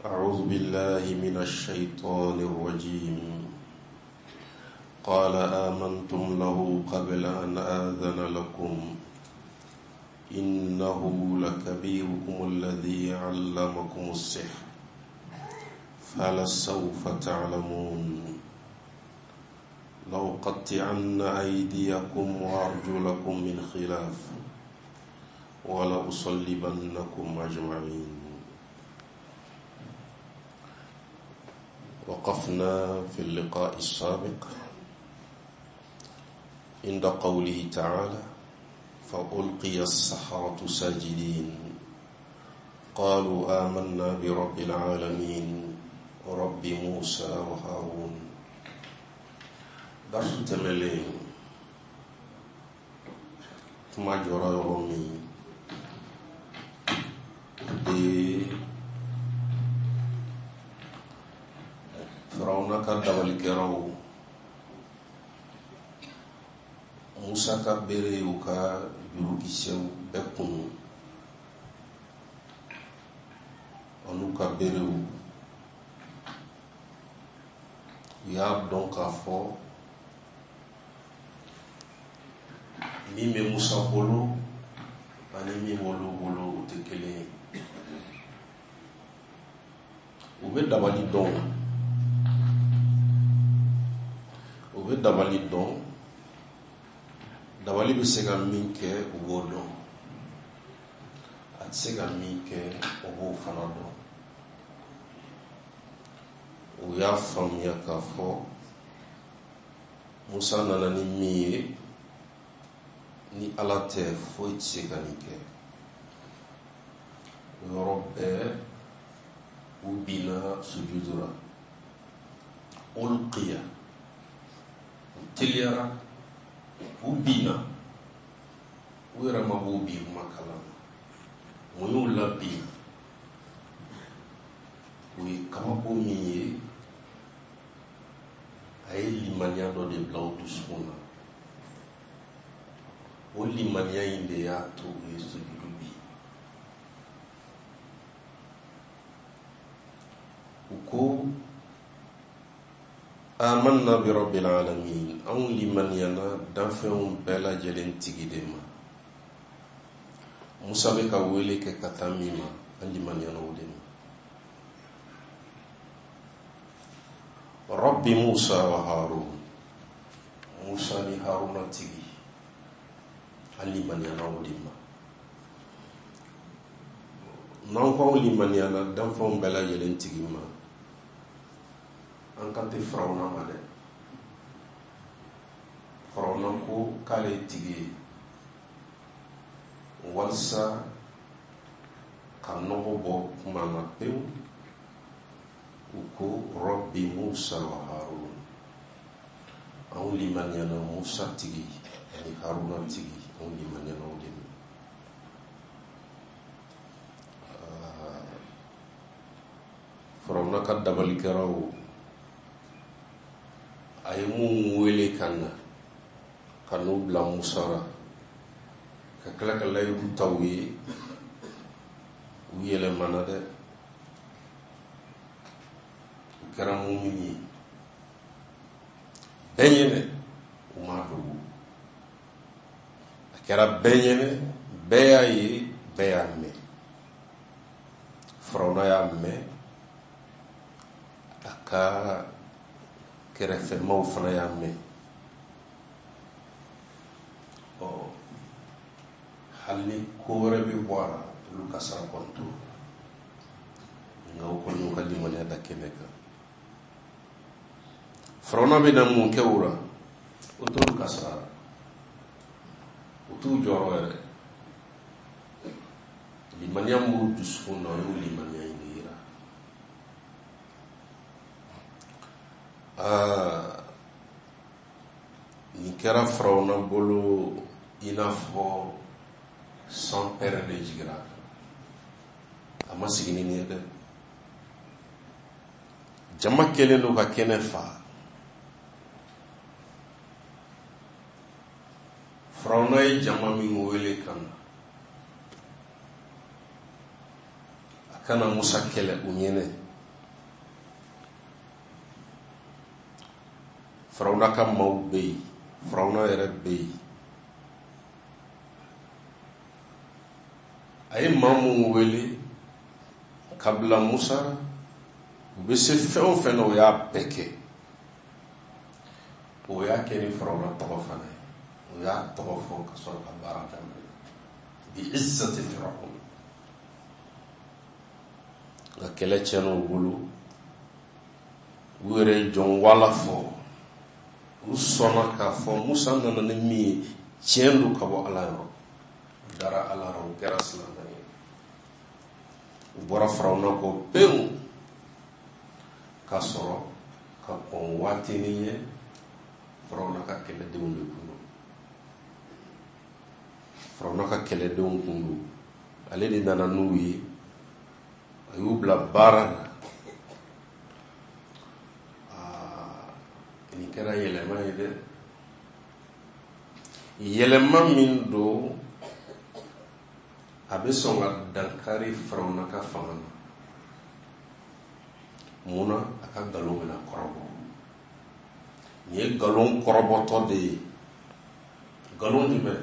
أعوذ بالله من الشيطان الرجيم قال آمنتم له قبل أن آذن لكم إنه لكبيركم الذي علمكم السحر فلسوف تعلمون لأقطعن أيديكم وأرجلكم من خلاف ولأصلبنكم أجمعين وقفنا في اللقاء السابق عند قوله تعالى فألقي السحرة ساجدين قالوا آمنا برب العالمين رب موسى وهارون درس tɛmɛlen kuma jɔra yɔrɔ min de firawuna ka dabalikɛlaw musa ka bere y'u ka jurukisɛw bɛɛ kunu an'u ka berew u y'a dɔn k'a fɔ min bɛ musa bolo ani min b'olu bolo u tɛ kelen ye u bɛ dabali dɔn u bɛ dabali dɔn dabali bɛ se ka min kɛ u b'o dɔn a tɛ se ka min kɛ u b'o fana dɔn u y'a faamuya k'a fɔ musa nana ni min ye ni ala tɛ foyi tɛ se ka nin kɛ o yɔrɔ bɛɛ u binna sujudu la ulqiya u teliyara u binna u yɛrɛ ma b'u bin kuma kalama mun y'u labin u ye kabako min ye a ye limaniya dɔ de bila u dusukun na o limaniya in de y'a to u ye sujudu bin u ko amanna bi rabbil alamin anw limaniyana danfɛnw bɛɛ lajɛlen tigi de ma musa bɛ ka wele kɛ ka taa min ma an limaniyana o de ma rabbi musa wa harun musa ni haruna tigi an limaniyana o de ma n'an ko anw limaniyana danfɛnw bɛɛ lajɛlen tigi ma an kan tɛ firawuna ma dɛ firawuna ko k'ale ye tigi ye walisa ka nɔgɔ bɔ kuma na pewu u ko rɔbi musa wa harun anw limaniyana musa tigi ani haruna tigi anw limaniyana o de ma firawuna ka dabalikɛlaw a ye mun wele ka na ka n'u bila musa la ka tila ka layidu ta u ye u yɛlɛmana dɛ u kɛra mumini ye bɛɛ ɲɛnɛ u m'a dogo a kɛra bɛɛ ɲɛnɛ bɛɛ y'a ye bɛɛ y'a mɛn firawuna y'a mɛn a ka kɛrɛfɛmaw fana y'a mɛn ɔ hali ni ko wɛrɛ bɛ bɔ a la olu ka sara kɔni t'o nka u kɔni y'u ka limaniya da kɛnɛ kan firawuna bɛna mun kɛ u la o t'olu ka sara la u t'u jɔrɔ yɛrɛ limaniya m'u dusukun na o y'u limaniya in de yira aa nin kɛra firawuna bolo i n'a fɔ san pɛrɛn de jigira a kan a ma sigi ni nin ye dɛ jama kɛlen don ka kɛnɛ fa firawuna ye jama min wele ka na a ka na musa kɛlɛ u ɲɛnɛ Firawuna ka maaw bɛ yen, Firawuna yɛrɛ bɛ yen. A ye maa minnu wele ka bila Musa, u bɛ se fɛn o fɛn na, u y'a bɛɛ kɛ. O y'a kɛ ni Firawuna tɔgɔ fana ye. O y'a tɔgɔ fɔ ka sɔrɔ ka baara daminɛ. Bi izzati Firawuna. Nka kɛlɛ tiɲɛna u bolo. U yɛrɛ ye jɔnwala fɔ. U sɔnna k'a fɔ Musa nana ni min ye, tiɲɛ don ka bɔ Ala yɔrɔ. U dara Ala la, u kɛra silamɛ ye. U bɔra Firawuna kɔ pewu ka sɔrɔ ka kɔn waatinin ɲɛ. Firawuna ka kɛlɛdenw de kun don. Firawuna ka kɛlɛdenw kun don. Ale de nana n'u ye, a y'u bila baara la. Nin kɛra yɛlɛma ye dɛ, yɛlɛma min don a bɛ sɔn ka dankari Firawuna ka fanga na. Mun na? A ka nkalon bɛna kɔrɔbɔ. Nin ye nkalon kɔrɔbɔtɔ de ye. Nkalon jumɛn?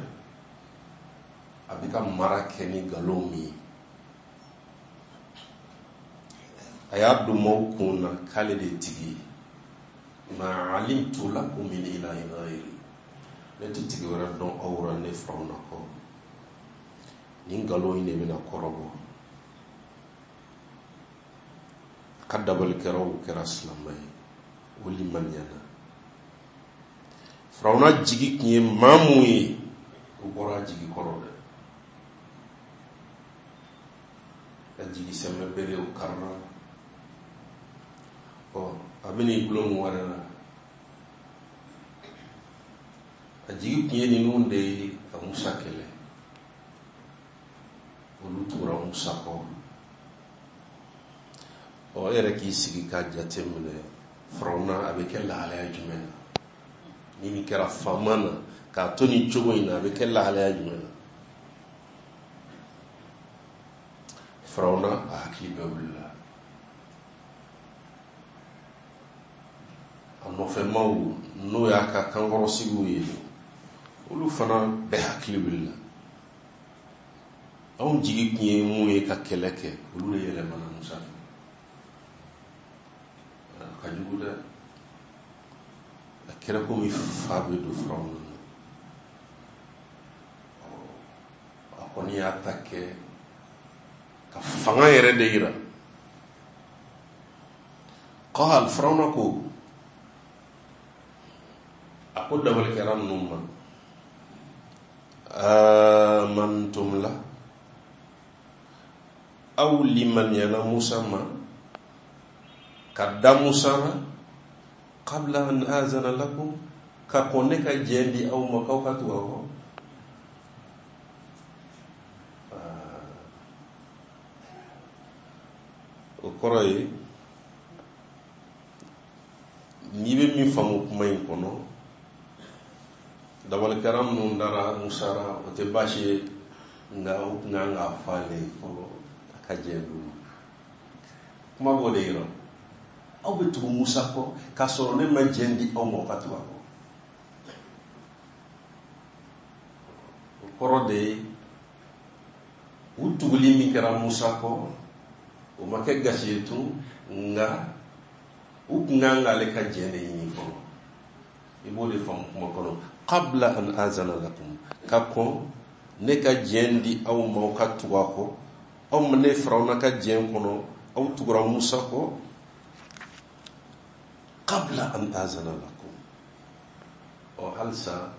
A bɛ ka mara kɛ ni nkalon min ye. A y'a don maaw kun na k'ale de ye tigi ye. Ma alimtu lakum min ilahin ghayri, ne tɛ tigi wɛrɛ dɔn aw ra ne Firawuna kɔ. Nin nkalon in de bɛna kɔrɔbɔ. A ka dabalikɛlaw kɛra silamɛ ye, o limaniyana. Firawuna jigi tun ye maa mun ye, o bɔra a jigi kɔrɔ dɛ. A jigi sɛmɛ bere o karila. Ɔ, a bɛna i gulon mun wɛrɛ la. A jigi tun ye ninnu de ye ka Musa kɛlɛ. Olu tugura Musa kɔ. Ɔ, e yɛrɛ k'i sigi k'a jate minɛ, Firawuna a bɛ kɛ lahalaya jumɛn na? Ni nin kɛra faama na k'a to nin cogo in na, a bɛ kɛ lahalaya jumɛn na? Firawuna a hakili bɛɛ wulila. A nɔfɛmaw, n'o y'a ka kankɔrɔsigiw ye, olu fana bɛɛ hakili wulila. Anw jigi tun ye mun ye ka kɛlɛ kɛ, olu de yɛlɛmana Musa fɛ. A ka jugu dɛ. A kɛra komi fa bɛ don Firawuna na. A kɔni y'a ta kɛ ka fanga yɛrɛ de yira. Qal, Firawuna ko, a ko dabalikɛla ninnu ma, amantum la, aw limaniyana Musa ma ka da Musa la, qabla an azana lakum, ka kɔn ne ka jɛn di aw ma k'aw ka tugu a kɔ. O kɔrɔ ye, n'i bɛ min faamu kuma in kɔnɔ, dabalikɛla minnu dara Musa la, o tɛ baasi ye, nka o tun kan k'a fɔ ale ye fɔlɔ a ka jɛn d'u ma. Kuma b'o de yira. Aw bɛ tugu Musa kɔ k'a sɔrɔ ne ma jɛn di aw ma aw ka tugu a kɔ. O kɔrɔ de ye, u tuguli min kɛra Musa kɔ, o ma kɛ gasi ye tun, nka u tun kan k'ale ka jɛn de ɲini fɔlɔ. I b'o de faamu kuma kɔnɔ. Qabla an azana lakum, ka kɔn ne ka jɛn di aw ma aw ka tugu a kɔ. Aw ma ne Firawuna ka jɛn kɔnɔ, aw tugura Musa kɔ. Qabla an azana lakum. Ɔ, halisa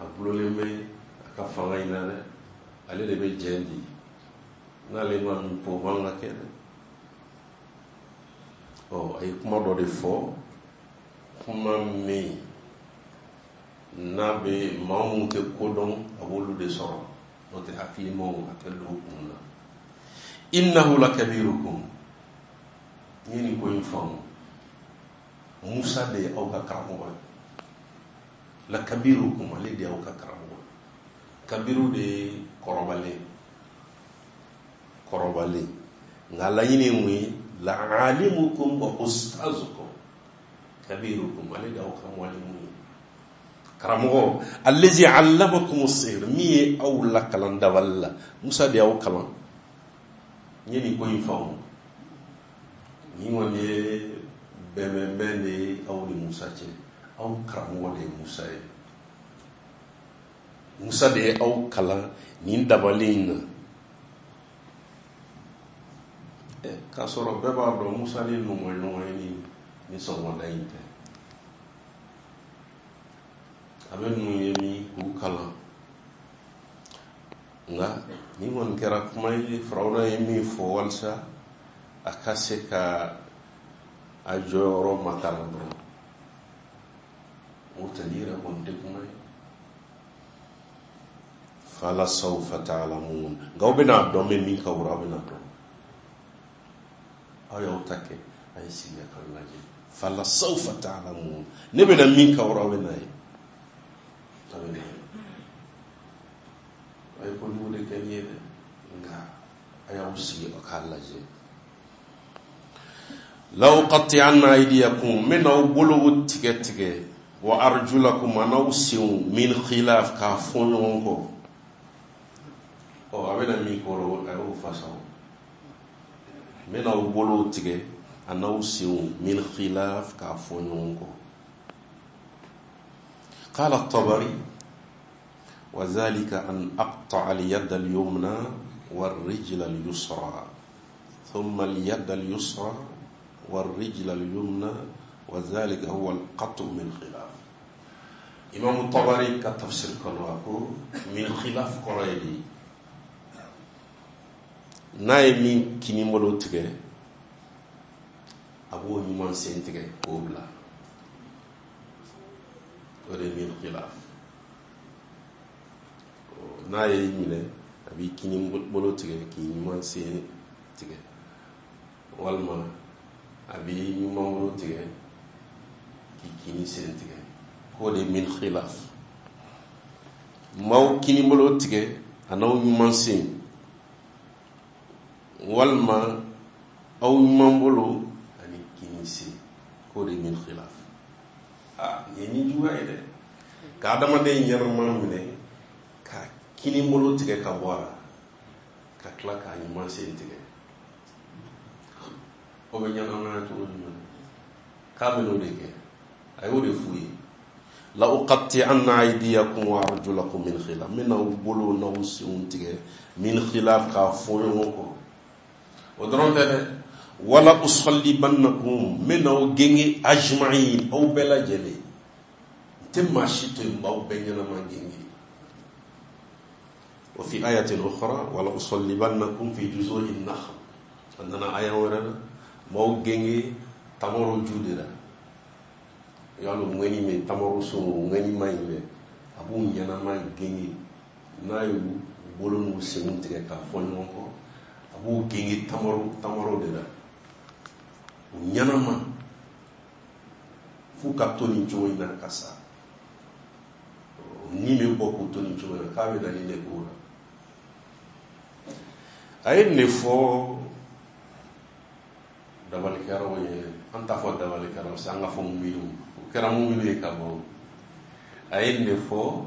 a gulolen bɛ a ka fanga in na dɛ. Ale de bɛ jɛn di. N'ale ma min fɔ, o man ka kɛ dɛ. Ɔ, a ye kuma dɔ de fɔ, kuma min n'a bɛ maa minnu tɛ ko dɔn, a b'olu de sɔrɔ. N'o tɛ hakilimaw, a tɛ don u kun na. Innahu lakabirukum. N ye nin ko in faamu. Musa de ye aw ka karamɔgɔ ye. Lakabirukum, ale de ye aw ka karamɔgɔ ye. Kabiru de ye kɔrɔbalen. Kɔrɔbalen. Nka laɲini ye mun ye? La'alimukum wa ustazukum. Kabirukum, ale de y'aw ka mwalimu ye, karamɔgɔ. Allazi allamakum sihr, min ye aw lakalan dabali la, Musa de y'aw kalan. N ye nin ko in faamu, nin kɔni ye bɛnbɛnbɛn de ye aw ni Musa cɛ. Aw karamɔgɔ de ye Musa ye, Musa de ye aw kalan nin dabali in na. K'a sɔrɔ bɛɛ b'a dɔn Musa ni ninnu ma ɲɔgɔn ye ni sɔgɔmada in tɛ. A bɛ ninnu ye min k'u kalan, nka nin kɔni kɛra kuma ye Firawuna ye min fɔ walasa a ka se ka a jɔyɔrɔ matara dɔrɔn. O tɛ yɛrɛ kɔni tɛ kuma ye. Fala sawfa ta'lamun, nka aw bɛna dɔn bɛ min ka wura, aw bɛna dɔn. Aw y'aw ta kɛ, a ye sigi ka lajɛ. Fala sawfa ta'lamun, ne bɛna min ka wura, aw bɛna ye, aw bɛna ye. A ye kojugu de kɛ nin ye dɛ, nka a y'aw sigi aw k'a lajɛ. La uqatti'anna aydiyakum, n bɛna aw bolow tigɛ tigɛ, wa arjulakum, an'aw senw, min khilaf, k'a fɔ ɲɔgɔn kɔ. Ɔ, a bɛna min kɔrɔ, a y'o fasa. N bɛna aw bolow tigɛ an'aw senw, min khilaf, k'a fɔ ɲɔgɔn kɔ. Qala at-Tabari wa dhalika an aqta'a al-yada al-yumna war-rijla al-yusra thumma al-yada al-yusra war-rijla al-yumna wa dhalika huwa al-qat'u min khilaf. Imam Tabari ka tafsir kɔnɔ, a ko min khilaf kɔrɔ ye di, n'a ye min kini bolo tigɛ, a b'o ɲuman sen tigɛ k'o bila, o de ye min khilaf. N'a ye minɛ, a b'i kini bolo tigɛ k'i ɲuman sen tigɛ, walima a b'i ɲuman bolo tigɛ k'i kini sen tigɛ, k'o de ye min khilaf. M'aw kini bolo tigɛ a n'aw ɲuman sen, walima aw ɲuman bolo ani kini sen, k'o de ye min khilaf. Aa, nin ye ni juguya ye dɛ, ka adamaden ɲɛnama minɛ ka kini bolo tigɛ ka bɔ a la, ka tila k'a ɲuman sen tigɛ, o bɛ ɲɛnamaya cogo jumɛn? K'a bɛ n'o de kɛ, a y'o de f'u ye. La uqatti'anna aydiyakum wa arjulakum min khilaf, n bɛna aw bolo n'aw senw tigɛ min khilaf, k'a fɔ ɲɔgɔn kɔ. O dɔrɔn tɛ dɛ, wala usallibannakum, n bɛna aw genge, ajma'in, aw bɛɛ lajɛlen, n tɛ maa si to yen, n b'aw bɛɛ ɲɛnama genge. Wa fi ayatin ukhra wala usallibannakum fi juzu'in nakhl, a nana aya wɛrɛ la, n b'aw genge tamaro ju de la. Yalo ŋɛni min tamaro sun, ŋɛni ma ɲi dɛ, a b'u ɲɛnama genge. N'a y'u bolo n'u senw tigɛ k'a fɔ ɲɔgɔn kɔ, a b'u genge tamaro de la, u ɲɛnama, f'u ka to nin cogo in na ka sa, ni bɛ bɔ k'u to nin cogo in na. K'a bɛ na nin de k'o la. A ye nin de fɔ dabalikɛlaw ye. An t'a fɔ dabalikɛlaw sa, an ka fɔ muminu, o kɛra muminu ye ka bɔ. A ye nin de fɔ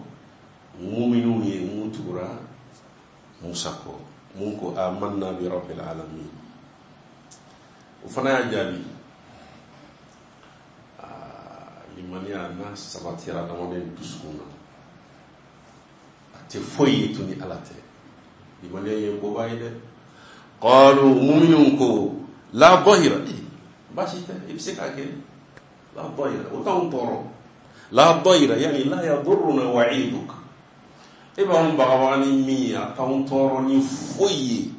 muminu ye mun tugura Musa kɔ, mun ko amanna bi rabbil alamin. O fana y'a jaabi, limaniya n'a sabatira adamaden dusukun na, a tɛ foyi ye tun ni Ala tɛ. Limaniya ye koba ye dɛ. Qalu, muminu ko la dahira, baasi tɛ, i bɛ se k'a kɛ. La dahira, o t'anw tɔɔrɔ. La dahira yani la yadurruna wa'iduk, e b'anw bagabaga ni min ye, a t'anw tɔɔrɔ ni foyi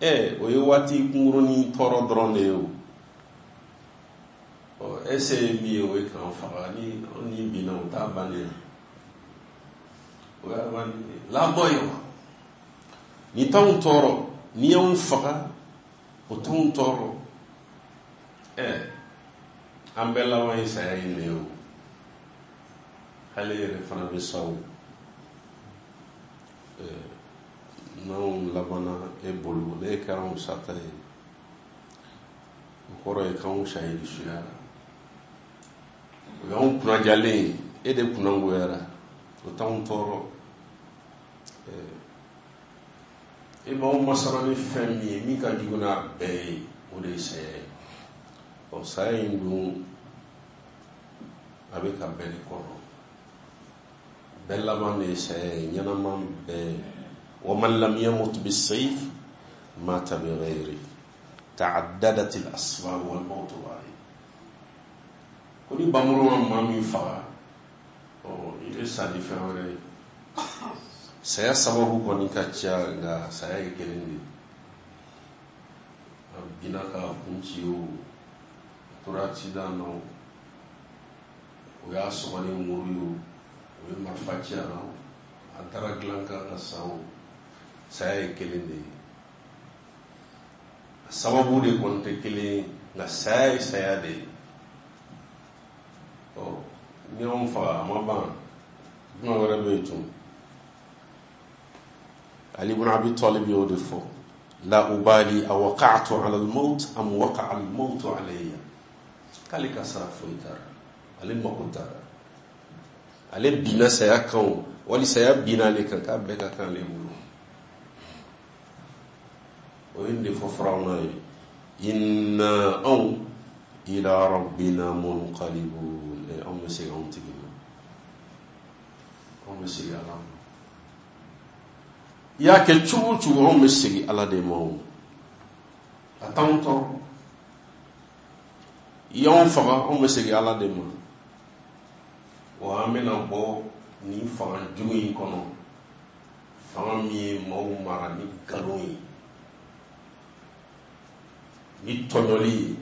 ye. O ye waati kunkurunin tɔɔrɔ dɔrɔn de ye. O ɔ, e se ye min ye, o ye k'an faga. Ni anw ni binna, o t'a bannen ye, o y'a bannen ye. La dahira, ni t'anw tɔɔrɔ, n'i y'anw faga, o t'anw tɔɔrɔ. An bɛɛ laban ye saya in de ye. O hali yɛrɛ fana bɛ sa. O n'anw labanna e bolo, n'e kɛra anw sata ye, o kɔrɔ ye k'anw sahidi suyara. O y'anw kunnajalen ye, e de kunnangoyara, o t'anw tɔɔrɔ. E b'anw masara ni fɛn min ye, min ka jugu n'a bɛɛ ye, o de ye saya ye. Ɔ, saya in dun, a bɛ ka bɛɛ de kɔnɔ. Bɛɛ laban de ye saya ye, ɲɛnama bɛɛ. Wa man lam yamut bisayf mata bi ghayri ta'addadat al asbab wal mawt wahid. Ko ni bamuru ma maa min faga, ɔ, i bɛ sa ni fɛn wɛrɛ ye. Saya sababu kɔni ka ca, nka saya ye kelen de ye. A binna k'a kun ci o, a tora accident na o, o y'a sɔgɔ ni muru ye o, o ye marifa ci a la o, a dara dilan kan ka sa o, saya ye kelen de ye. A sababu de kɔni tɛ kelen ye, nka saya ye saya de ye. Ɔ, ni anw faga, a ma ban, jumɛn wɛrɛ bɛ yen tun? Ali ibn Abi Talib y'o de fɔ: la ubali awaqa'tu ala al-maut am waqa'a al-maut alayya. K'ale ka sara foyi t'a la, ale mako t'a la, ale binna saya kan o, wali saya binna ale kan, k'a bɛɛ ka kan ale bolo. O ye nin de fɔ Firawuna ye: inna, anw, ila rabbina munqalibun. Anw bɛ segin anw tigi ma, anw bɛ segin Ala ma. I y'a kɛ cogo o cogo, anw bɛ segin Ala de ma. O a t'anw tɔɔrɔ. I y'anw faga, anw bɛ segin Ala de ma. Wa an bɛna bɔ nin fanga jugu in kɔnɔ, fanga min ye maaw mara ni nkalon ye, ni tɔɲɔli ye,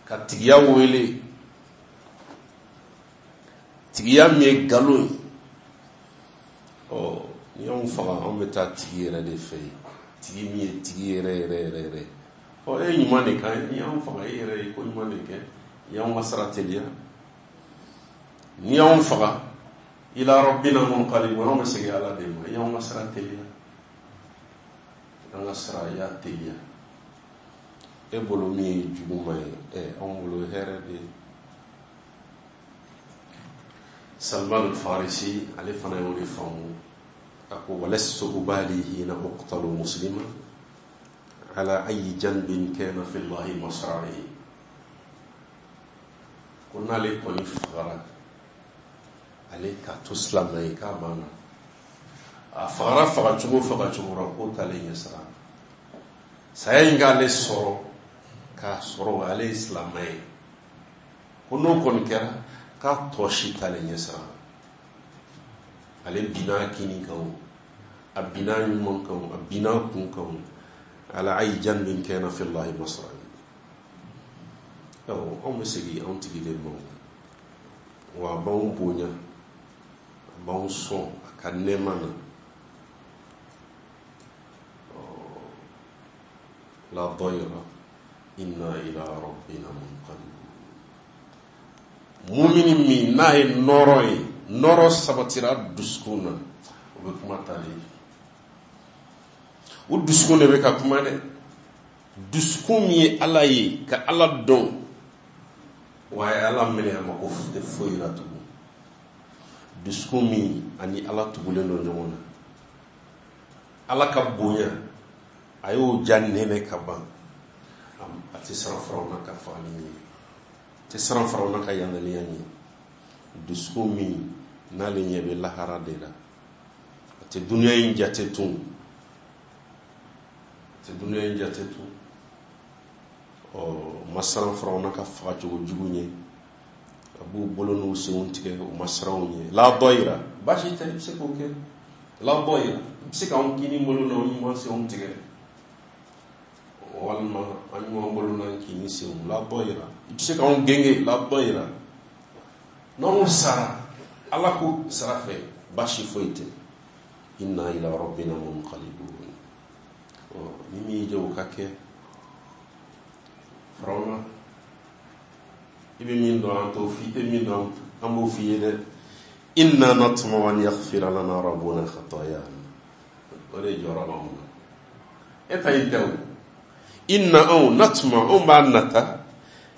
ka tigiya wele, tigiya min ye nkalon ye. Ɔ, ni y'anw faga, anw bɛ taa tigi yɛrɛ de fɛ yen, tigi min ye tigi yɛrɛ yɛrɛ yɛrɛ yɛrɛ. Ɔ, e ye ɲuman de kan ye. N'i y'anw faga, e yɛrɛ ye ko ɲuman de kɛ, i y'anw ka sara teliya. N'i y'anw faga, ila rabbina munqalibun, anw bɛ segin Ala de ma. I y'anw ka sara teliya, an ka sara i y'a teliya. E bolo min ye juguman ye, ɛ, anw bolo hɛrɛ de ye. Salman al-Farisi, ale fana y'o de faamu. A ko: walastu ubali hina uqtalu muslima ala ayi janbin kana fi llahi masra'i. Ko n'ale kɔni fagara, ale ka to silamɛ ye, k'a banna. A fagara fagacogo fagacogo la, k'o t'ale ɲɛ sira. Saya in k'ale sɔrɔ k'a sɔrɔ ale ye silamɛ ye, ko n'o kɔni kɛra, k'a tɔ si t'ale ɲɛ sira. Ale binna kini kan o, a binna ɲuman kan o, a binna kun kan o, ala ayi janbin kana fi llahi masra'i. Awɔ, anw bɛ segin anw tigi de ma. Wa a b'anw bonya, a b'anw sɔn a ka nɛɛma na. La dayra, inna ila rabbina munqalibun. Mumini min n'a ye nɔrɔ ye, nɔrɔ sabatira dusukun na, o bɛ kuma tali. O dusukun de bɛ ka kuma dɛ. Dusukun min ye Ala ye, ka Ala dɔn, wa a ye Ala minɛ, a mako tɛ foyi la tugun. Dusukun min ani Ala tugulen don ɲɔgɔn na, Ala ka bonya a y'o ja nɛnɛ ka ban, a tɛ siran Firawuna ka fagali ɲɛ, a tɛ siran Firawuna ka yangaliya ɲɛ. Dusukun min n'ale ɲɛ bɛ lahara de la, a tɛ dunuya in jate tun, a tɛ dunuya in jate tun. Ɔ, ma siran Firawuna ka fagacogo jugu ɲɛ, a b'u bolo n'u senw tigɛ, u ma siran u ɲɛ. La dɔyira, baasi tɛ, i bɛ se k'o kɛ. La dɔyira, i bɛ se k'anw kini bolo n'anw ɲuman senw tigɛ, walima an ɲuman bolo n'an kini senw. La dɔyira, i bɛ se k'anw genge. La dɔyira, n'anw sara Ala ko sara fɛ, baasi foyi tɛ. Inna ila rabbina munqalibun. Ɔ, ni min y'i jɔ, o ka kɛ. Firawuna, i bɛ min dɔn, an t'o f'i, i tɛ min dɔn, an b'o f'i ye dɛ. Inna natma'u an yaghfira lana rabbuna khatayana. O de jɔyɔrɔ b'anw na, e ta in tɛ o. Inna, anw, natma, anw b'a nata.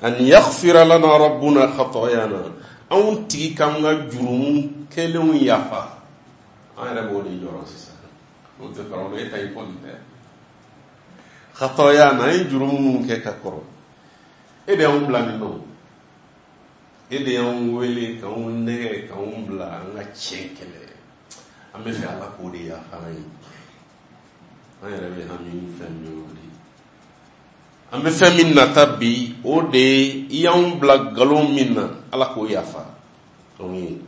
An yaghfira lana rabbuna khatayana, anw tigi k'an ka jurumu kɛlenw yafa. An yɛrɛ b'o de jɔrɔ sisan, n'o tɛ Firawuna e ta i kɔni tɛ. Khatayana, an ye jurumu minnu kɛ ka kɔrɔ, e de y'anw bila nin nɔ, e de y'anw wele k'anw nɛgɛ k'anw bila an ka tiɲɛ kɛlɛ. An bɛ fɛ Ala k'o de yafa an ye. An yɛrɛ bɛ hami ni fɛn min ye o de ye. An bɛ fɛn min nata bi, o de ye i y'anw bila nkalon min na, Ala k'o yafa anw ye.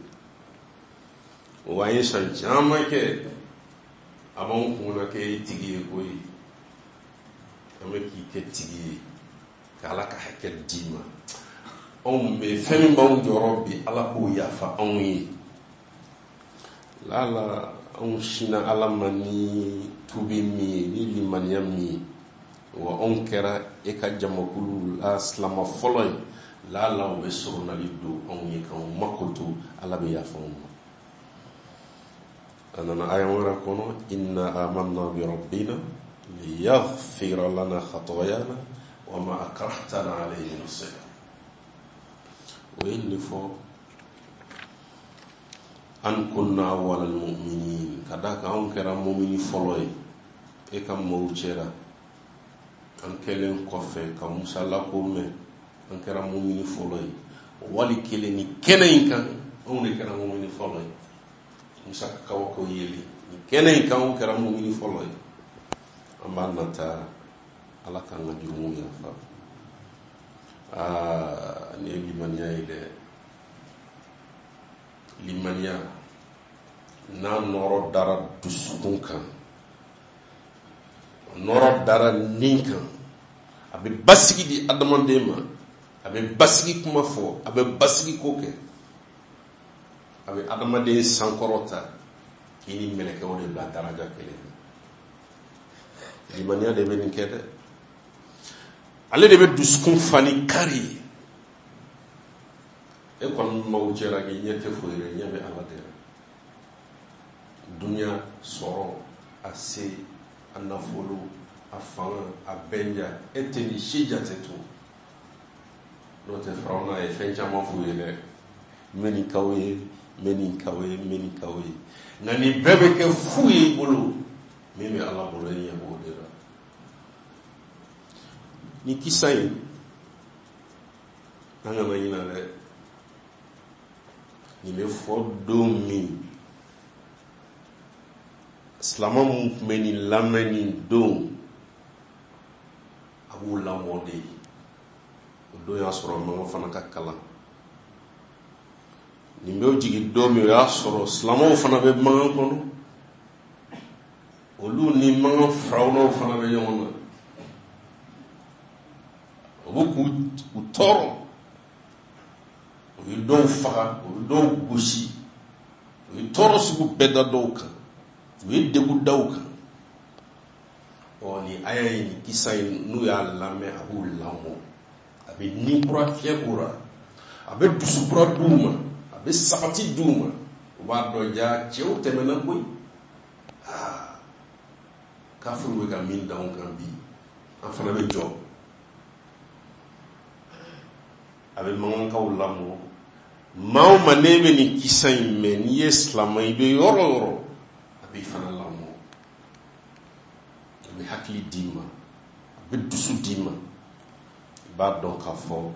Wa an ye san caman kɛ a b'anw kun na k'e ye tigi ye koyi, an bɛ k'i kɛ tigi ye ka Ala ka hakɛ d'i ma. Anw bɛ fɛn min b'anw jɔrɔ bi, Ala k'o yafa anw ye. Lala anw sinna Ala ma ni tubi min ye, ni limaniya min ye, wa anw kɛra e ka jamakulu la silama fɔlɔ ye, lala o bɛ soronali don anw ye k'anw makoto, Ala bɛ yafa anw ma. A nana aya wɛrɛ kɔnɔ, inna amanna bi rabbina liyaghfira lana khatayana wa ma akrahtana alayhi min as-sihr. O ye nin fɔ, an kunna awwal al-mu'minin, ka d'a kan anw kɛra mumini fɔlɔ ye e ka maaw cɛra. An kɛlen kɔfɛ ka Musa lako mɛn, an kɛra mumini fɔlɔ ye. Wali kelen ni kɛnɛ in kan, anw de kɛra mumini fɔlɔ ye. Musa ka kabako yeli ni kɛnɛ in kan, anw kɛra mumini fɔlɔ ye. An b'a nata Ala k'an ka jurumu yafa. Aa, nin ye limaniya ye dɛ. Limaniya n'a nɔrɔ dara dusukun kan, nɔrɔ dara nin kan, a bɛ basigi di adamaden ma, a bɛ basigi kuma fɔ, a bɛ basigi ko kɛ, a bɛ adamaden sankɔrɔta k'i ni mɛlɛkɛw de bila daraja kelen na. Limaniya de bɛ nin kɛ dɛ. Ale de bɛ dusukun fa ni kari ye. E kɔni maaw cɛla k'i ɲɛ tɛ foyi ye, ɲɛ bɛ Ala de la. Dunuya sɔrɔ, a se, a nafolo, a fanga, a bɛnja, e tɛ nin si jate to. N'o tɛ Firawuna ye fɛn caman f'u ye dɛ. N bɛ nin k'aw ye, n bɛ nin k'aw ye, n bɛ nin k'aw ye. Nka nin bɛɛ bɛ kɛ fu ye i bolo. Min bɛ Ala bolo, e ɲɛ b'o de la. Ni kisa in, an kana ɲinɛ dɛ. Nin bɛ fɔ don min, silama minnu tun bɛ nin lamɛn nin don, a b'u lamɔ de. O don y'a sɔrɔ mankan fana ka kalan. Nin bɛ jigin don min, o y'a sɔrɔ silamaw fana bɛ mankan kɔnɔ. Olu ni mankan firawunaw fana bɛ ɲɔgɔn na. O bɛ k'u tɔɔrɔ. U ye dɔw faga, u ye dɔw gosi, u ye tɔɔrɔ sugu bɛɛ da dɔw kan, u ye degun da u kan. Ɔ, nin aya in, nin kisa in, n'u y'a lamɛn, a b'u lamɔ, a bɛ ni kura fiyɛ k'u la, a bɛ dusu kura d'u ma, a bɛ sabati d'u ma. U b'a dɔn ja cɛw tɛmɛna koyi. Aa, kafiriw bɛ ka min da anw kan bi, an fana bɛ jɔ. A bɛ mankankaw lamɔ. Maa o maa n'e bɛ nin kisa in mɛn, n'i ye silamɛ, i bɛ yɔrɔ o yɔrɔ, a b'i fana lamɔ. A bɛ hakili d'i ma, a bɛ dusu d'i ma. I b'a dɔn k'a fɔ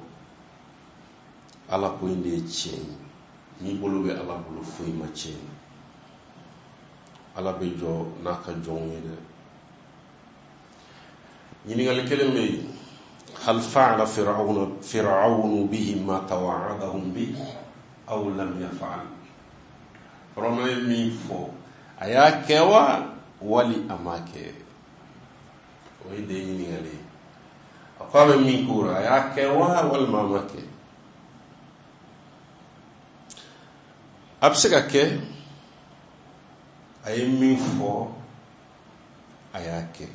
Ala ko in de ye tiɲɛ ye. N'i bolo bɛ Ala bolo, foyi ma tiɲɛ. Ala bɛ jɔ n'a ka jɔnw ye dɛ. Ɲininkali kelen bɛ yen. Hal fa'ala fir'aunu bihi ma tawa'adahum bi aw lam yaf'al? Firawuna ye min fɔ, a y'a kɛ wa wali a m'a kɛ? O ye de ɲininkali ye. A ko a bɛ min k'o la, a y'a kɛ wa walima a m'a kɛ? A bɛ se ka kɛ a ye min fɔ, a y'a kɛ,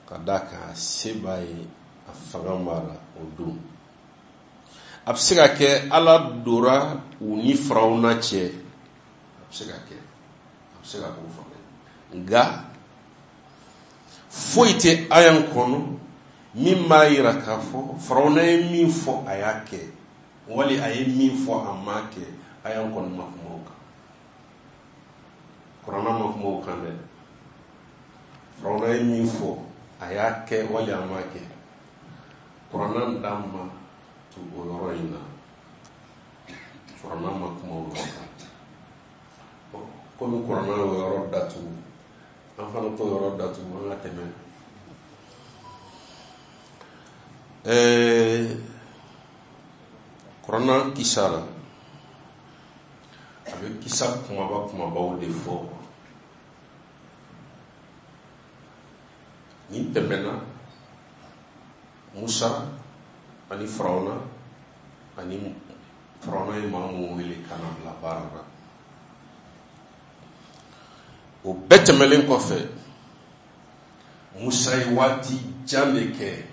ka d'a kan a se b'a ye, a fanga b'a la o don. A bɛ se ka kɛ Ala dora u ni Firawuna cɛ. A bɛ se ka kɛ, a bɛ se ka k'o fana ye. Nka foyi tɛ aya in kɔnɔ Min b'a yira k'a fɔ Farawuna ye min fɔ a y'a kɛ, wali a ye min fɔ a m'a kɛ, aya kɔni ma kuma o kan. Kuranna ma kuma o kan dɛ. Farawuna ye min fɔ a y'a kɛ wali a m'a kɛ, Kuranna da ma tu o yɔrɔ in na. Kuranna ma kuma o yɔrɔ kan. Komi kuranna y'o yɔrɔ datugu, an fana t'o yɔrɔ datugu, an ka tɛmɛ. Kuranna kisa la, a bɛ kisa kumaba kumabaw de fɔ. Nin tɛmɛna, Musa ani Farawuna, ani Farawuna ye maa mun wele ka na bila baara la. O bɛɛ tɛmɛlen kɔfɛ, Musa ye waati jan de kɛ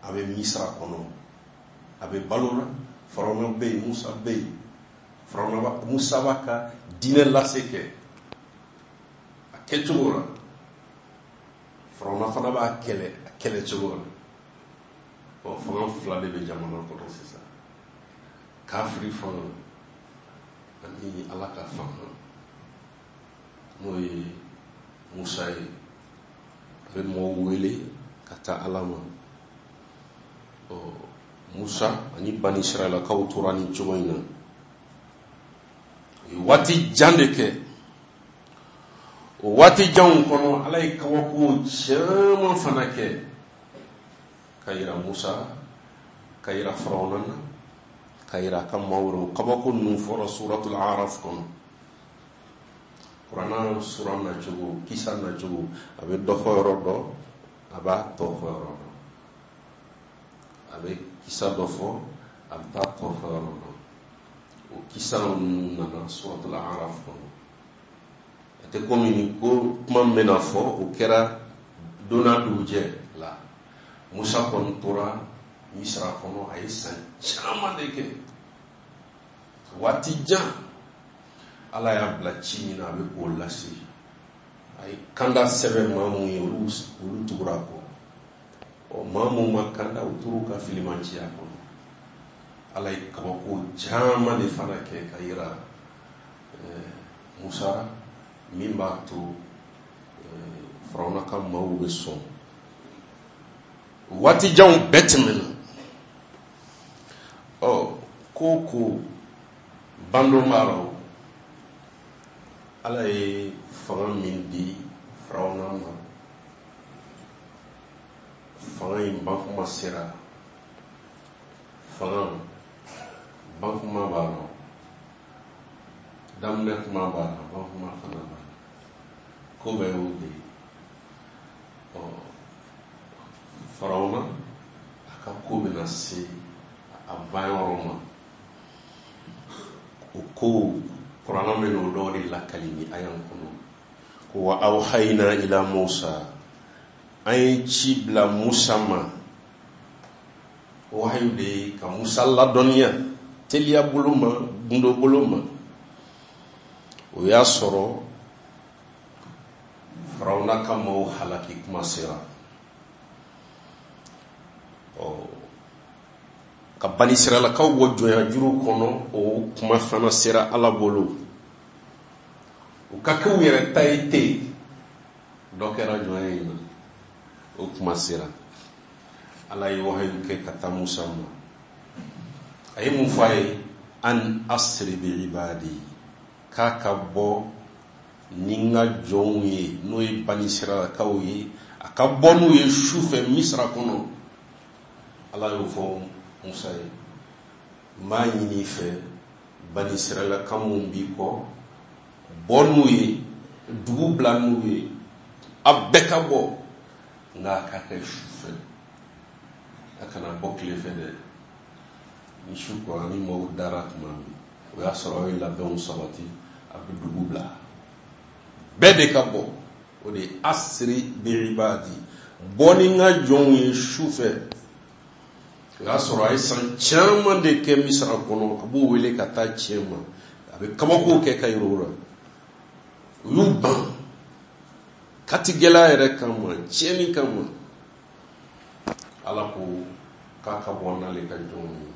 a bɛ Misira kɔnɔ, a bɛ balo la. Farawuna bɛ yen, Musa bɛ yen. Farawuna, Musa b'a ka diinɛ lase kɛ a kɛcogo la, Farawuna fana b'a kɛlɛ a kɛlɛ cogo la. Ɔ, fanga fila de bɛ jamana kɔnɔ sisan: kafiri fanga ani Ala ka fanga, n'o ye Musa ye. A bɛ mɔgɔw wele ka taa Ala ma. Ɔ, Musa ani Bani Israɛlakaw tora nin cogo in na. U ye waati jan de kɛ. O waati janw kɔnɔ, Ala ye kabako caman fana kɛ ka yira Musa, ka yira Farawuna na, ka yira a ka maaw wɛrɛw. Kabako ninnu fɔra Suratul Araf kɔnɔ. Kuranna sura nacogo, kisa nacogo, a bɛ dɔ fɔ yɔrɔ dɔ, a b'a tɔ fɔ yɔrɔ dɔ. A bɛ kisa dɔ fɔ, a bɛ taa tɔ fɔ yɔrɔ dɔ. O kisa ninnu nana Suratul Araf kɔnɔ. A tɛ komi ni ko kuma min bɛna fɔ, o kɛra don n'a dugujɛ la. Musa kɔni tora Misira kɔnɔ, a ye san caman de kɛ, waati jan. Ala y'a bila ci min na, a bɛ k'o lase. A ye kanda sɛbɛn maa mun ye, olu tugura a kɔ. Ɔ, maa mun ma kanda, u tor'u ka filimanciya kɔnɔ. Ala ye kabako caman de fana kɛ ka yira Musa, min b'a to Farawuna ka maaw bɛ sɔn. Waati janw bɛɛ tɛmɛna. Ɔ, ko bandon b'a rɔ. Ala ye fanga min di Farawuna ma, fanga in bankuma sera. Fanga bankuma b'a rɔ, daminɛ kuma b'a la, bankuma fana b'a la. Ko bɛɛ y'o de ye. Ɔ, Farawuna a ka ko bɛna se a banyɔrɔ ma. O ko kuranna bɛ n'o dɔw de lakali ni aya kɔnɔ, ko wa awhayna ila Musa, an ye ci bila Musa ma. Wahayu de ye ka Musa ladɔnniya teliya bolo ma, gundo bolo ma. O y'a sɔrɔ Farawuna ka maaw halaki kuma sera. Ɔ, ka Banisiralakaw bɔ jɔnya juru kɔnɔ, o kuma fana sera Ala bolo. U ka kɛ u yɛrɛ ta ye ten, dɔ kɛra jɔnya in na, o kuma sera. Ala ye wahayu kɛ ka taa Musa ma. A ye mun fɔ a ye? An asiri bi ibadi, k'a ka bɔ ni n ka jɔnw ye, n'o ye Banisiralakaw ye, a ka bɔ n'u ye su fɛ Misira kɔnɔ. Ala y'o fɔ Musa ye. N b'a ɲini i fɛ, Banisiralaka mun b'i kɔ, bɔ n'u ye, dugu bila n'u ye, a bɛɛ ka bɔ, nka a ka kɛ su fɛ, a kana bɔ tile fɛ dɛ. Ni su kɔra, ni maaw dara tuma min, o y'a sɔrɔ aw ye labɛnw sabati, a bɛ dugu bila, bɛɛ de ka bɔ. O de ye asiri bi ibadi, bɔ ni n ka jɔnw ye su fɛ. O y'a sɔrɔ a ye san caman de kɛ Misira kɔnɔ, a b'u wele ka taa tiɲɛ ma, a bɛ kabakow kɛ ka yir'u la. U y'u ban katigɛla yɛrɛ kama, tiɲɛni kama. Ala ko k'a ka bɔ n'ale ka jɔnw ye.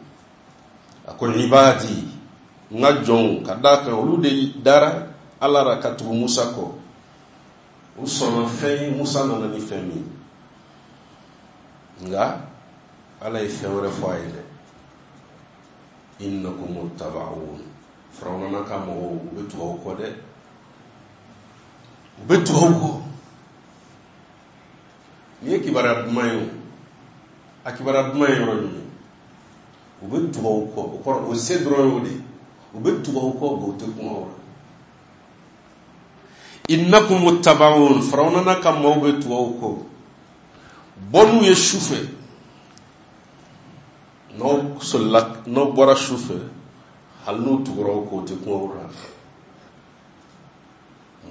A ko ibadi, n ka jɔnw, ka d'a kan olu de dara Ala ra ka tugu Musa kɔ. U sɔnna fɛn ye, Musa nana ni fɛn min ye. Nka Ala ye fɛn wɛrɛ fɔ a ye dɛ. Innakum muttaba'un. Firawuna n'a ka mɔgɔw, u bɛ tugu aw kɔ dɛ. U bɛ tugu aw kɔ. Nin ye kibaruya duman ye o. A kibaruya duman ye yɔrɔ jumɛn? U bɛ tugu aw kɔ. O kɔrɔ, o se dɔrɔn y'o de ye. U bɛ tugu aw kɔ, nka u tɛ kuma aw la. Innakum muttaba'un. Firawuna n'a ka maaw bɛ tugu aw kɔ. Bɔ n'u ye su fɛ. N'aw solila, n'aw bɔra su fɛ, hali n'u tugura aw kɔ, u tɛ kuma aw la.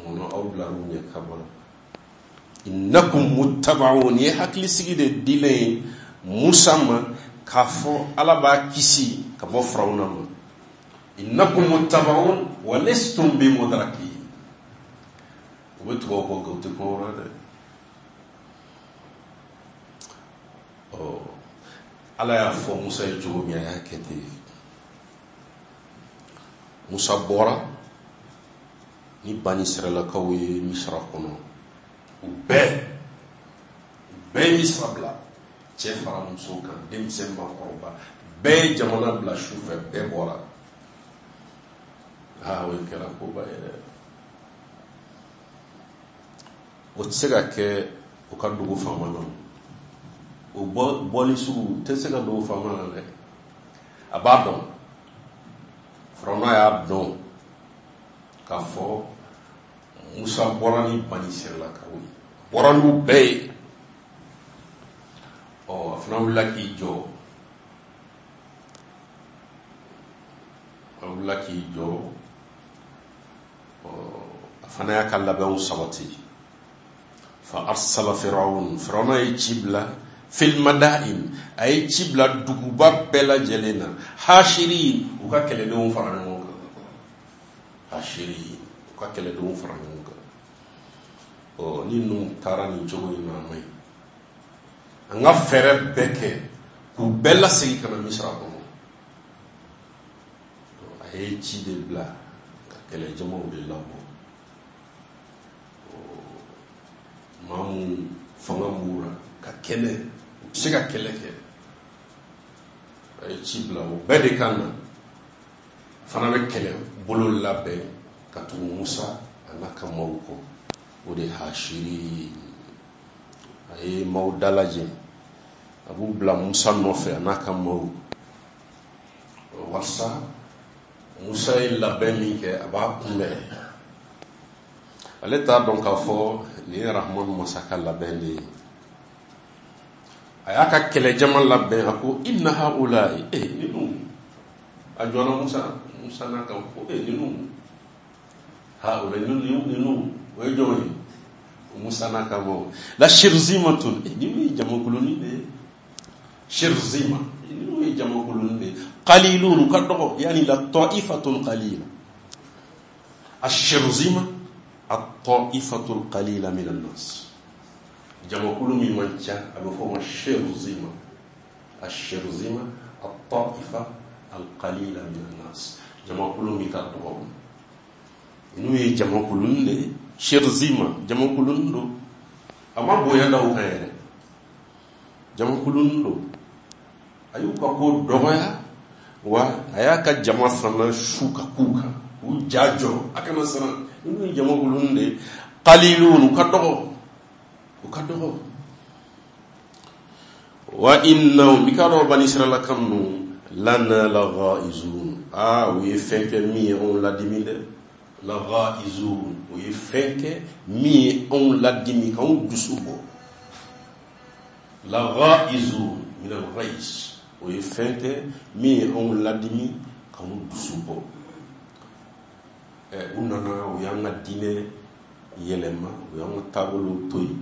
Munna aw bilar'u ɲɛ ka bɔ la? Innakum muttaba'un. Nin ye hakilisigi de dilen ye Musa ma k'a fɔ Ala b'a kisi ka bɔ Firawuna ma. Innakum muttaba'un wa lastum bimudrakin. U bɛ tugu aw kɔ, nka u tɛ kuma aw la dɛ. Ɔ, Ala y'a fɔ Musa ye cogo min, a y'a kɛ ten. Musa bɔra ni Bani Israɛlakaw ye Misira kɔnɔ. U bɛɛ ye Misira bila, cɛ fara muso kan, denmisɛn maakɔrɔba, bɛɛ ye jamana bila su fɛ, bɛɛ bɔra. Aa, o kɛra koba ye dɛ. O tɛ se ka kɛ u ka dugu faama na. O bɔli sugu tɛ se ka dugu faama na dɛ. A b'a dɔn. Firawuna y'a dɔn k'a fɔ Musa bɔra ni Bani Israɛlakaw ye. Bɔra n'u bɛɛ ye. Ɔ, a fana wulila k'i jɔ. A wulila k'i jɔ. Ɔ, a fana y'a ka labɛnw sabati. Fa arsala Firawun. Firawuna ye ci bila fil madain. A ye ci bila duguba bɛɛ lajɛlen na. Hashirin, u ka kɛlɛdenw fara ɲɔgɔn kan. Hashirin, u ka kɛlɛdenw fara ɲɔgɔn kan. Ɔ, ni ninnu taara nin cogo in na, a ma ɲi. An ka fɛɛrɛ bɛɛ kɛ k'u bɛɛ lasegin ka na Misira kɔnɔ. A ye ci de bila ka kɛlɛjamaw de labɔ. Maa mun fanga b'u la ka kɛlɛ, u bɛ se ka kɛlɛ kɛ. A ye ci bila o bɛɛ de kan na. A fana bɛ kɛlɛ bolo labɛn ka tugu Musa a n'a ka maaw kɔ. O de ye Hashiri. A ye maaw dalajɛ, a b'u bila Musa nɔfɛ a n'a ka maaw. Walasa Musa ye labɛn min kɛ, a b'a kunbɛn. Ale t'a dɔn k'a fɔ nin ye Rahman masa ka labɛn de ye. A y'a ka kɛlɛjama labɛn, a ko inna haula'i, ninnu. A jɔnna Musa n'a kan ko, ninnu. Haula, ninnu, o ye jɔn ye? Musa n'a ka maaw. La shirzimatun, ninnu ye jamakulunin de ye. Shirzima, ninnu ye jamakulunin de ye. Qalilun, u ka dɔgɔ, yani la ta'ifatun qalila. Ashirzima, at-ta'ifatul qalila min an-nas. Jamakulu min man ca, a bɛ fɔ o ma shirzima. Ashirzima, at-ta'ifa al-qalila min an-nas. Jamakulu min ka dɔgɔ. Ninnu ye jamakulunin de ye. Shirzima, jamakulunin don. A ma bonya da u kan yɛrɛ. Jamakulunin don. A y'u ka ko dɔgɔya, wa a y'a ka jama fana su ka k'u kan. U ja jɔ, a kana siran. Ninnu ye jamakulunin de ye. Qalilun, u ka dɔgɔ. U ka dɔgɔ. Wa innahum, i k'a dɔn Bani Israɛlaka ninnu, lana laghaizun. Aa, u ye fɛn kɛ min ye anw ladimi dɛ. Laghaizun, u ye fɛn kɛ min ye anw ladimi, k'anw dusu bɔ. Laghaizun min al-ghaiz, o ye fɛn kɛ min ye anw ladimi, k'anw dusu bɔ. U nana, u y'an ka diinɛ yɛlɛma, u y'an ka taabolow to yen,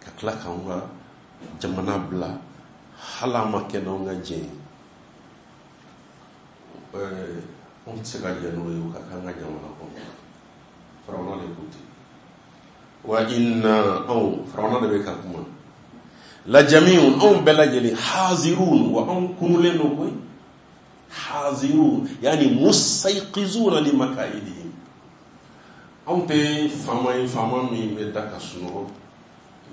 ka tila k'anw ka jamana bila, hali an ma kɛ n'anw ka jɛ ye. Anw tɛ se ka jɛ n'o ye, u ka k'an ka jamana kɔnɔ. Firawuna de ko ten. Wa inna, anw, Firawuna de bɛ ka kuma. Lajamiun, anw bɛɛ lajɛlen, hazirun, wa anw kunulen don koyi. Hazirun yani mustayqizuna li makaidihim. Anw tɛ faama ye, faama min bɛ da ka sunɔgɔ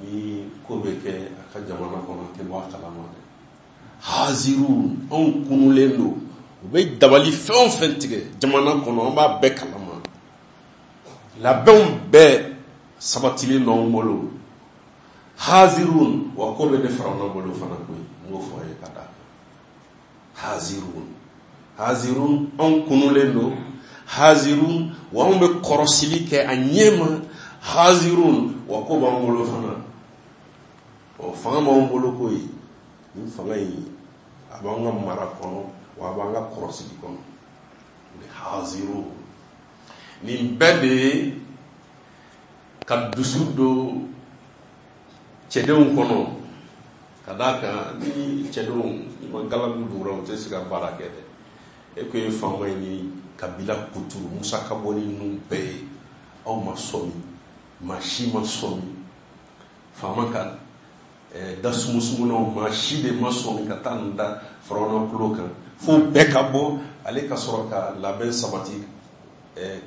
ni ko bɛ kɛ a ka jamana kɔnɔ, a tɛ bɔ a kalama dɛ. Hazirun, anw kunulen don, u bɛ dabali fɛn o fɛn tigɛ jamana kɔnɔ, an b'a bɛɛ kalama. Labɛnw bɛɛ sabatilen don anw bolo. Hazirun, wa ko bɛ ne Firawuna bolo fana koyi, n b'o fɔ a ye ka d'a kan. Hazirun, hazirun, anw kunulen don. Hazirun, wa anw bɛ kɔrɔsili kɛ a ɲɛ ma. Hazirun, wa ko b'an bolo fana. Ɔ, fanga b'anw bolo koyi. Nin fanga in, a b'an ka mara kɔnɔ, wa a b'an ka kɔrɔsili kɔnɔ. O de hazirun. Nin bɛɛ de ye ka dusu don cɛdenw kɔnɔ, ka d'a kan ni cɛdenw ni ma galabu dugura, u tɛ se ka baara kɛ dɛ. E ko ye faama ye ni kabila kuturu Musa ka bɔ ni ninnu bɛɛ ye, aw ma sɔmi, maa si ma sɔmi. Faama ka da sumusumunaw, maa si de ma sɔmi ka taa nin da Firawuna tulo kan, fo bɛɛ ka bɔ, ale ka sɔrɔ ka labɛn sabati,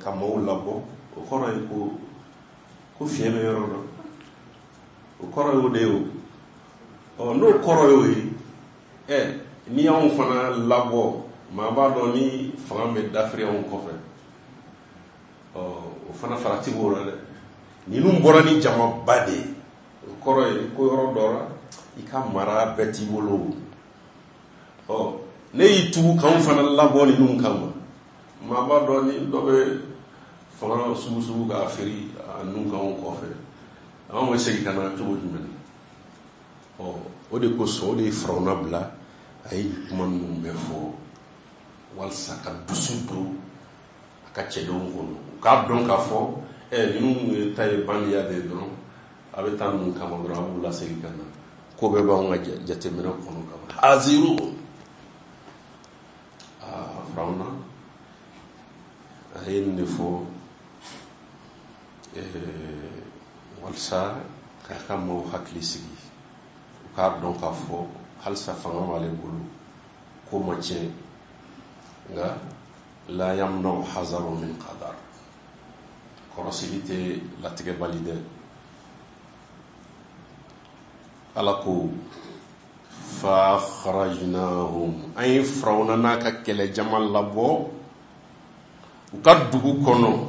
ka maaw labɔ. O kɔrɔ ye ko fiɲɛ bɛ yɔrɔ dɔ, o kɔrɔ y'o de ye o. Ɔ, n'o kɔrɔ y'o ye, n'i y'anw fana labɔ, maa b'a dɔn ni fanga bɛ dafiri anw kɔfɛ. Ɔ, o fana farati b'o la dɛ. Ninnu bɔra ni jamaba de ye, o kɔrɔ ye ko yɔrɔ dɔ la i ka mara bɛɛ t'i bolo. Ɔ, ne y'i tugu k'anw fana labɔ ninnu kama, maa b'a dɔn ni dɔ bɛ fanga sugusugu k'a feere a nun kan anw kɔfɛ, anw bɛ segin ka na cogo jumɛn na? Ɔ, o de kosɔn, o de ye Firawuna bila a ye kuma ninnu bɛɛ fɔ walasa ka dusu don a ka cɛdenw kɔnɔ, u k'a dɔn k'a fɔ ninnu ta ye bandiya de ye dɔrɔn, a bɛ taa ninnu kama dɔrɔn, a b'u lasegin ka na, ko bɛɛ b'anw ka jateminɛ kɔnɔ ka ban. Haziru, aa, Firawuna a ye nin de fɔ walasa k'a ka maaw hakili sigi, u k'a dɔn k'a fɔ halisa fanga b'ale bolo, ko ma tiɲɛ. Nka la yamna'u hazaru min qadar, kɔrɔsili tɛ latigɛ bali dɛ. Ala ko fa akhrajnahum, an ye Firawuna n'a ka kɛlɛjama labɔ u ka dugu kɔnɔ,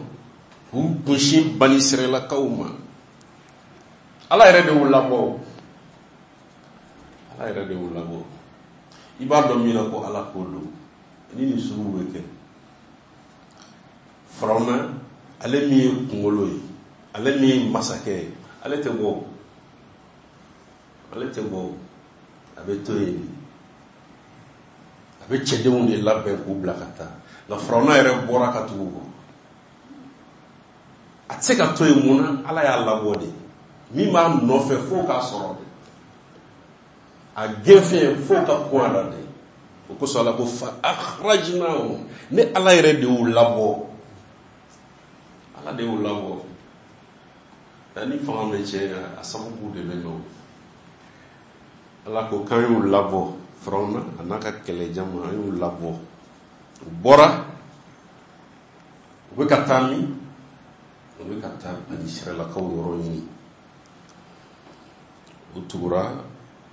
k'u kunsin Bani Israɛlakaw ma. Ala yɛrɛ de y'u labɔ, Ala yɛrɛ de y'u labɔ. I b'a dɔn min na ko Ala ko don, ni nin sugu bɛ kɛ. Firawuna, ale min ye kunkolo ye, ale min ye masakɛ ye, ale tɛ bɔ, ale tɛ bɔ, a bɛ to yen de. A bɛ cɛdenw de labɛn k'u bila ka taa. Nka Firawuna yɛrɛ bɔra ka tugu kɔ. A tɛ se ka to yen mun na? Ala y'a labɔ de. Min b'a nɔfɛ f'o k'a sɔrɔ de. A gɛnfɛn f'o ka kun a la de. O kosɔn Ala ko fa akhrajnahum, ne Ala yɛrɛ de y'u labɔ. Ala de y'u labɔ. Nka ni fanga bɛ tiɲɛ, a sababu de bɛ nɔ. Ala ko k'an y'u labɔ, Firawuna a n'a ka kɛlɛjama, an y'u labɔ. U bɔra, u bɛ ka taa min? U bɛ ka taa Bani Israɛlakaw yɔrɔ ɲini. U tugura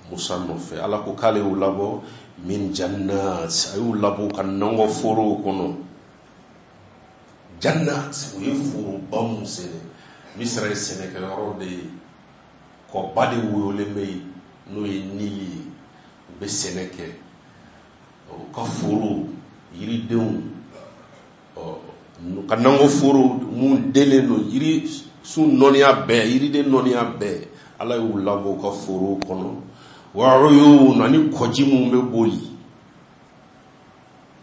Musa nɔfɛ. Ala ko k'ale y'u labɔ min jannat, a y'u labɔ u ka nakɔ forow kɔnɔ. Jannat, u ye foroba mun sɛnɛ. Misira ye sɛnɛkɛyɔrɔ de ye, kɔba de woyolen bɛ yen, n'o ye Nili ye. U bɛ sɛnɛ kɛ, u ka foro, yiridenw, ɔ, ka nakɔ foro mun delen don, yiri sun nɔniya bɛɛ, yiriden nɔniya bɛɛ, Ala y'u labɔ u ka forow kɔnɔ. Wa uyun, ani kɔji mun bɛ boli.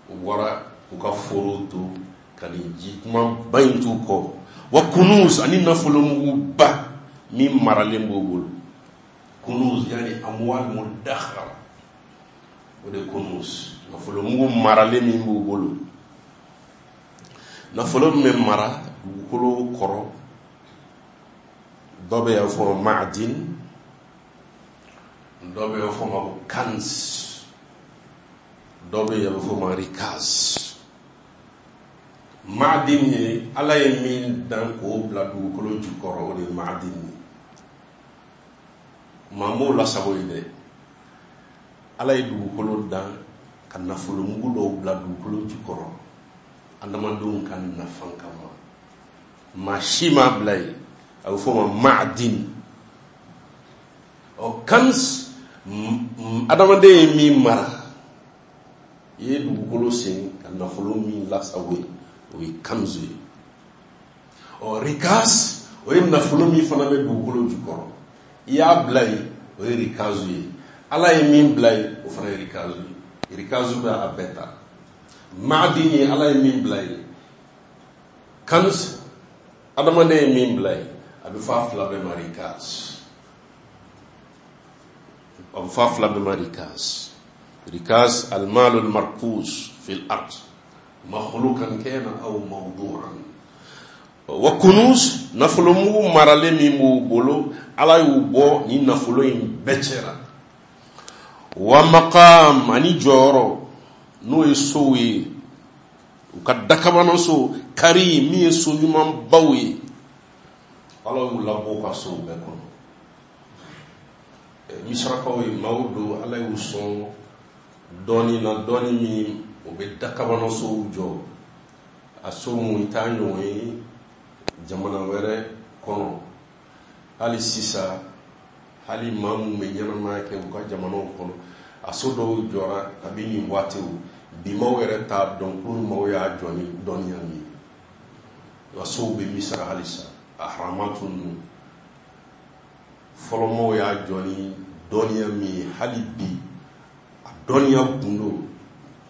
U bɔra u ka forow to ka nin ji kumaba in t'u kɔ. Wa kunuz, ani nafolomuguba min maralen b'u bolo. Kunuz yani amwal mudakhara, o de kunuz, nafolomugu maralen min b'u bolo. Nafolo min bɛ mara dugukolo kɔrɔ, dɔ bɛ yan fɔ maadin, Dɔ bɛ yen, a bɛ fɔ o ma ko kanz. Dɔ bɛ yen, a bɛ fɔ o ma rikaz. Maadin ye Ala ye min dan k'o bila dugukolo jukɔrɔ, o de ye maadin ye. Maa m'o lasago yen dɛ. Ala ye dugukolo dan ka nafolomugu dɔw bila dugukolo jukɔrɔ adamadenw ka nafa kama. Maa si m'a bila yen, a bɛ fɔ o ma maadin. Ɔ, kanz, adamaden ye min mara, i ye dugukolo sen ka nafolo min lasago yen, o ye kanzu ye. Ɔ, rikaz, o ye nafolo min fana bɛ dugukolo jukɔrɔ, i y'a bila yen, o ye rikazu ye. Ala ye min bila yen, o fana ye rikazu ye. Rikazu bɛ a bɛɛ ta. Maadin ye Ala ye min bila yen, kanz adamaden ye min bila yen, a bɛ fɔ a fila bɛɛ ma rikaz. A bɛ fɔ a fila bɛɛ ma rikaz. Rikaz, almalu almarkuz fil ard, makhlukan kana aw mawdu'an. Wa kunuz, nafolomugu maralen min b'u bolo, Ala y'u bɔ ni nafolo in bɛɛ cɛra. Wa maqam, ani jɔyɔrɔ, n'o ye sow ye, u ka dakabanaso kari min ye so ɲumanbaw ye, Ala y'u labɔ u ka sow bɛɛ kɔnɔ. Misirakaw ye maaw don, Ala y'u sɔn dɔɔni na, dɔɔni min o bɛ dakabanasow jɔ, a so mun i t'a ɲɔgɔn ye jamana wɛrɛ kɔnɔ. Hali sisan, hali maa mun bɛ ɲɛnamaya kɛ u ka jamanaw kɔnɔ, a so dɔw jɔra kabi nin waatiw, bi maaw yɛrɛ t'a dɔn k'olu maaw y'a jɔ ni dɔnniya min ye. Wa sow bɛ Misira halisa, a haramatu ninnu fɔlɔmaaw y'a jɔ ni dɔnniya min ye, hali bi a dɔnniya gundo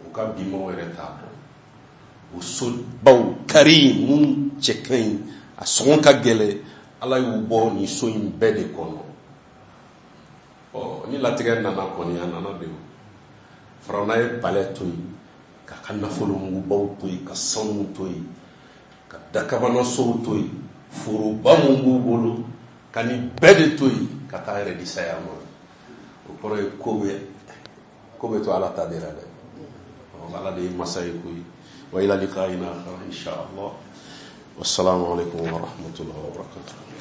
o ka bi maaw yɛrɛ t'a dɔn. O sobaw kari mun cɛ ka ɲi, a sɔngɔ ka gɛlɛn, Ala y'u bɔ nin so in bɛɛ de kɔnɔ. Ɔ, ni latigɛ nana kɔni, a nana de. O Farawuna ye palais to yen, k'a ka nafolomugubaw to yen, ka sanu to yen, ka dakabanasow to yen, foroba mun b'u bolo, ka nin bɛɛ de to yen, ka taa yɛrɛ di saya ma. O kɔrɔ ye ko bɛ to Ala ta de la dɛ. Ala de ye masa ye koyi. Wa ila liqa'ina akhar insha Allah. Wassalamu alaikum wa rahmatullahi wa barakatuh.